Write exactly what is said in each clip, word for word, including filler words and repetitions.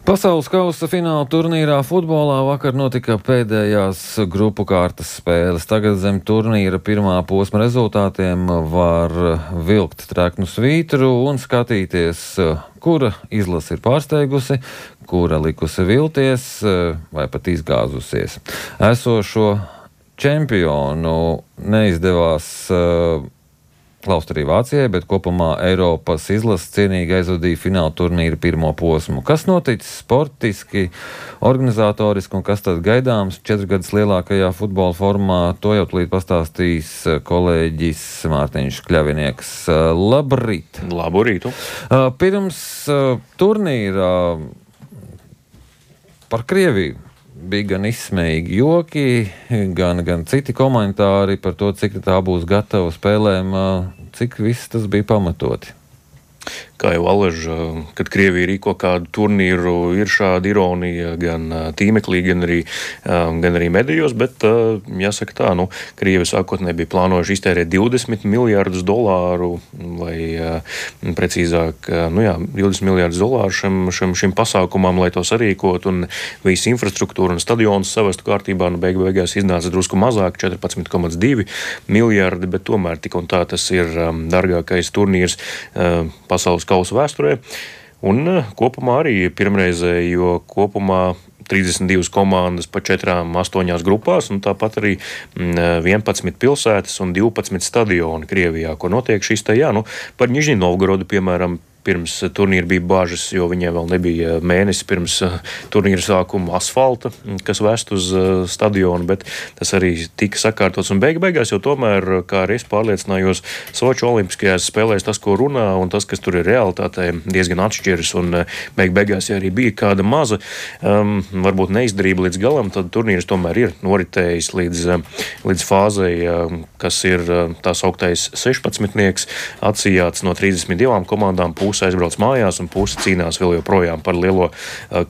Pasaules kausa fināla turnīrā futbolā vakar notika pēdējās grupu kārtas spēles. Tagad zem turnīra pirmā posma rezultātiem var vilkt treknu svītru un skatīties, kura izlase ir pārsteigusi, kura likusi vilties vai pat izgāzusies. Esošo čempionu neizdevās klaust arī Vācijai, bet kopumā Eiropas izlase cienīgi aizvadīja fināla turnīra pirmo posmu. Kas noticis sportiski, organizatoriski un kas tad gaidāms četras gadus lielākajā futbola formā, to jau tūlīt pastāstīs kolēģis Mārtiņš Kļavinieks. Labrīt! Labu rītu! Pirms turnīra par Krieviju bija gan izsmējīgi joki, gan, gan citi komentāri par to, cik tā būs gatava spēlēm, cik viss tas bija pamatoti. Kā jau Alež, kad Krievija rīko kādu turnīru, ir šāda ironija gan tīmeklī, gan arī, gan arī medijos, bet jāsaka tā, nu, Krievi sākotnēji bija plānojuši iztērēt divdesmit miljārdus dolāru, vai precīzāk, nu jā, divdesmit miljārdus dolāru šim, šim, šim pasākumam, lai to sarīkot, un visu infrastruktūru un stadionus savestu kārtībā, nu, beig beigās iznāca drusku mazāk, četrpadsmit komats divi miljārdi, bet tomēr tik un tā tas ir dargākais turnīrs pasaules kausa vēsturē, un kopumā arī pirmreizēji, jo kopumā trīsdesmit divas komandas pa četrām, astoņās grupās, un tāpat arī vienpadsmit pilsētas un divpadsmit stadioni Krievijā, ko notiek šis te, jā, nu, par Nižņi Novgorodu, piemēram, pirms turnīra bija bažas, jo viņiem vēl nebija mēnesi pirms turnīra sākuma asfalta, kas vest uz stadionu, bet tas arī tika sakārtots. Un beig beigās jau tomēr, kā arī es pārliecinājos, Soču olimpiskajās spēlēs tas, ko runā, un tas, kas tur ir realitātē, diezgan atšķiras, un beig beigās, ja arī bija kāda maza, um, varbūt neizdarība līdz galam, tad turnīrs tomēr ir noritējis līdz, līdz fāzei, kas ir tās augtais sešpadsmitnieks, atsijāts no trīsdesmit divām komandām, pusi aizbrauc mājās un pusi cīnās vēl joprojām par lielo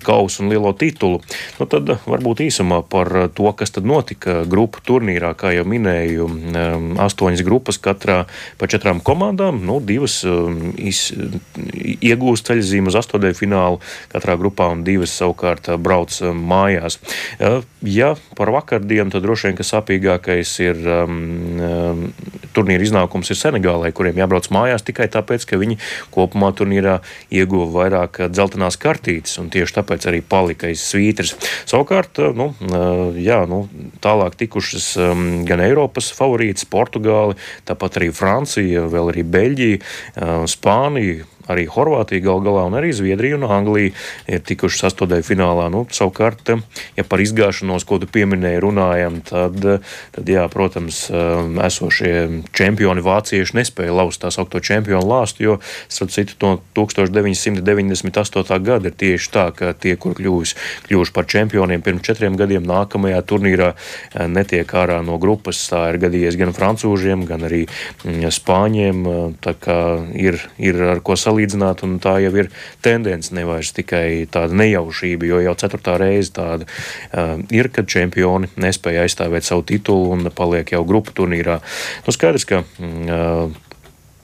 kausu un lielo titulu. Nu, tad varbūt īsumā par to, kas tad notika grupu turnīrā, kā jau minēju, astoņas grupas katrā pa četrām komandām, nu, divas iz, iegūst ceļzīmu uz astotajā finālu katrā grupā un divas savukārt brauc mājās. Ja par vakardienu, tad droši vien, ka sāpīgākais ir um, turnīra iznākums ir Senegālai, kuriem jābrauc mājās tikai tāpēc, ka viņi kopumā turnīrā ieguva vairāk dzeltenās kartītes, un tieši tāpēc arī palika aiz svītras. Savukārt, nu, jā, nu, tālāk tikušas gan Eiropas favorītas, Portugāli, tāpat arī Francija, vēl arī Beļģija, Spānija, arī Horvātija gal galā un arī Zviedrija un Anglija ir tikuši astotajā finālā. Nu, savukārt, ja par izgāšanos, ko tu pieminēji, runājam, tad, tad jā, protams, esošie čempioni vācieši nespēja laust tās augto čempionu lāstu, jo, starp citu, no tūkstoš deviņsimt deviņdesmit astotā gada ir tieši tā, ka tie, kur kļuvuši, kļuvuši par čempioniem pirms četriem gadiem, nākamajā turnīrā netiek ārā no grupas. Tā ir gadījies gan francūžiem, gan arī spāņiem, tā kā ir, ir ar ko salīdzināt. Līdzināt, un tā jau ir tendence, nevairs tikai tāda nejaušība, jo jau ceturtā reize tāda uh, ir, kad čempioni nespēja aizstāvēt savu titulu un paliek jau grupu turnīrā. Nu, skaidrs, ka uh,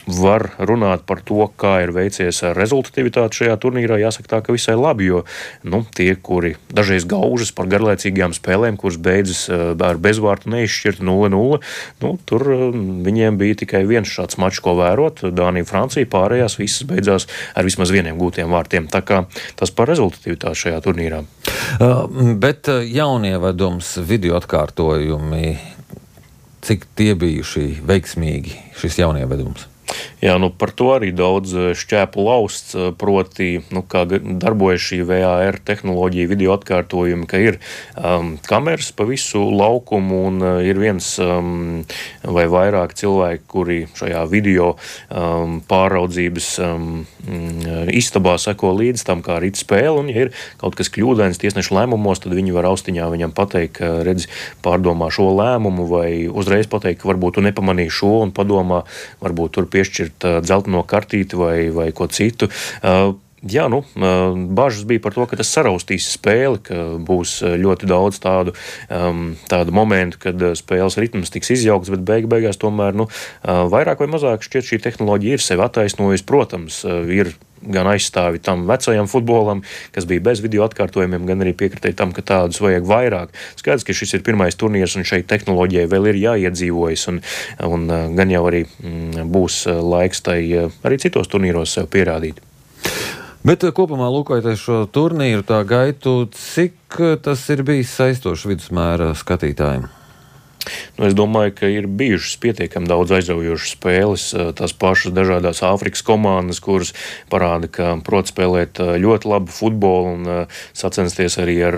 var runāt par to, kā ir veicies rezultatīvitāte šajā turnīrā. Jāsaka tā, ka visai labi, jo nu, tie, kuri dažreiz gaužas par garlaicīgām spēlēm, kuras beidzas ar bezvārtu neizšķirtu nulle nulle, nu, tur viņiem bija tikai viens šāds mačs, ko vērot. Dānija, Francija, pārējās visas beidzās ar vismaz vieniem gūtiem vārtiem. Tā kā tas par rezultatīvitāti šajā turnīrā. Uh, bet jaunievedums, video atkārtojumi, cik tie bijuši veiksmīgi, šis jaunievedums? Jā, nu par to arī daudz šķēpu lausts, proti, nu, kā darbojas šī V A R tehnoloģija, video atkārtojumi, ka ir um, kameras pa visu laukumu un uh, ir viens um, vai vairāk cilvēki, kuri šajā video um, pāraudzības um, istabā seko līdz tam, kā rit spēle, un ja ir kaut kas kļūdains tiesnešu lēmumos, tad viņi var austiņā viņam pateikt, ka redz, pārdomā šo lēmumu, vai uzreiz pateikt, ka varbūt tu nepamanīji šo un padomā, varbūt tur piešķirt dzelteno kartīti vai, vai ko citu. Uh, Jā, nu, bažas bija par to, ka tas saraustīs spēli, ka būs ļoti daudz tādu, um, tādu momentu, kad spēles ritms tiks izjaukts, bet beig beigās tomēr, nu, vairāk vai mazāk šķiet šī tehnoloģija ir sevi attaisnojusi. Protams, ir gan aizstāvi tam vecajam futbolam, kas bija bez video atkārtojumiem, gan arī piekritīja tam, ka tādus vajag vairāk. Skaidrs, ka šis ir pirmais turnīrs un šeit tehnoloģijai vēl ir jāiedzīvojas un, un gan jau arī būs laiks tai arī citos turnīros sev pierādīt. Bet kopumā lūkojoties šo turnīru, tā gaitu, cik tas ir bijis saistošs vidusmēra skatītājiem? Nu, es domāju, ka ir bijušas pietiekami daudz aizraujošas spēles, tās pašas dažādās Āfrikas komandas, kuras parāda, ka prot spēlēt ļoti labu futbolu un sacensties arī ar,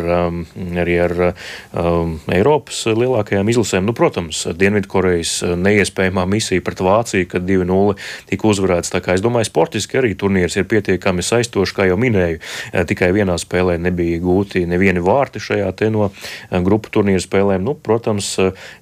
arī ar um, Eiropas lielākajām izlasēm. Nu, protams, Dienvidkorejas neiespējamā misija pret Vāciju, kad divi nulle tika uzvarēts. Tā kā es domāju, sportiski arī turnīrs ir pietiekami saistošs, kā jau minēju. Tikai vienā spēlē nebija gūti nevieni vārti šajā te no grupu turnīra spēlēm. Nu, protams,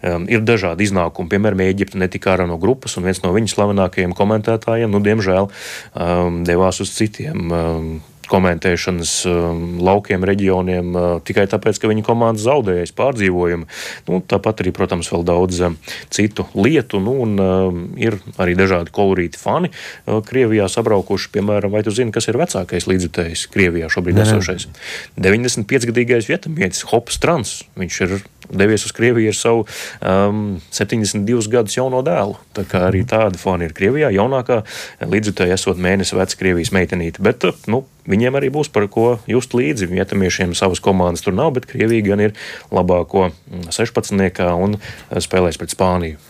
Um, ir dažādi iznākumi. Piemēram, Ēģipte netika ārā no grupas, un viens no viņas slavenākajiem komentētājiem, nu, diemžēl, um, devās uz citiem um, komentēšanas um, laukiem, reģioniem, uh, tikai tāpēc, ka viņa komanda zaudējas pārdzīvojumu. Nu, tāpat arī, protams, vēl daudz um, citu lietu, nu, un um, ir arī dažādi kolorīti fani uh, Krievijā sabraukuši. Piemēram, vai tu zini, kas ir vecākais līdzjutējs Krievijā šobrīd esošais? deviņdesmit piecgadīgais vietamietis Hops Trans. Viņš ir devies uz Krieviju ar savu um, septiņdesmit divus gadus jauno dēlu. Tā kā arī tādi fani ir Krievijā. Jaunākā līdzjutēja esot mēnesi veca Krievijas meitenīte. Bet, nu, viņiem arī būs par ko just līdzi. Vietamiešiem savas komandas tur nav, bet Krievija gan ir labāko sešpadsmitniekā un spēlēs pret Spāniju.